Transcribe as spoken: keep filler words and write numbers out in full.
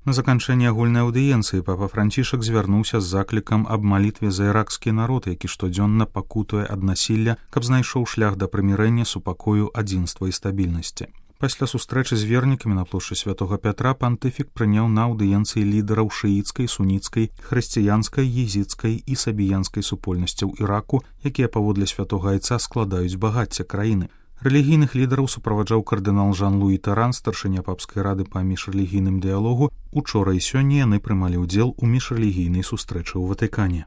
На заканчэнне агульнай аўдыенцыі папа Францішак звярнуўся з заклікам аб малітве за іракскі народ, які штодзённа пакутуе ад насілля, каб знайшоў шлях да прымірэння, супакою, адзінства і стабільнасці. Пасля сустрэчы з вернікамі на плошчы святога Пятра пантыфік прыняў на аўдыенцыі лідараў шыіцкай, суніцкай, хрысціянскай, езідскай і сабіянскай супольнасцяў Іраку, якія паводле святога айца складаюць багацце краіны. Рэлігійных лідараў суправаджаў кардынал Жан-Луі Таран, старшыня папскай рады па міжрэлігійным дыялогу. Учора і сёння яны прымалі ўдзел у міжрэлігійнай сустрэчы ў Ватыкане.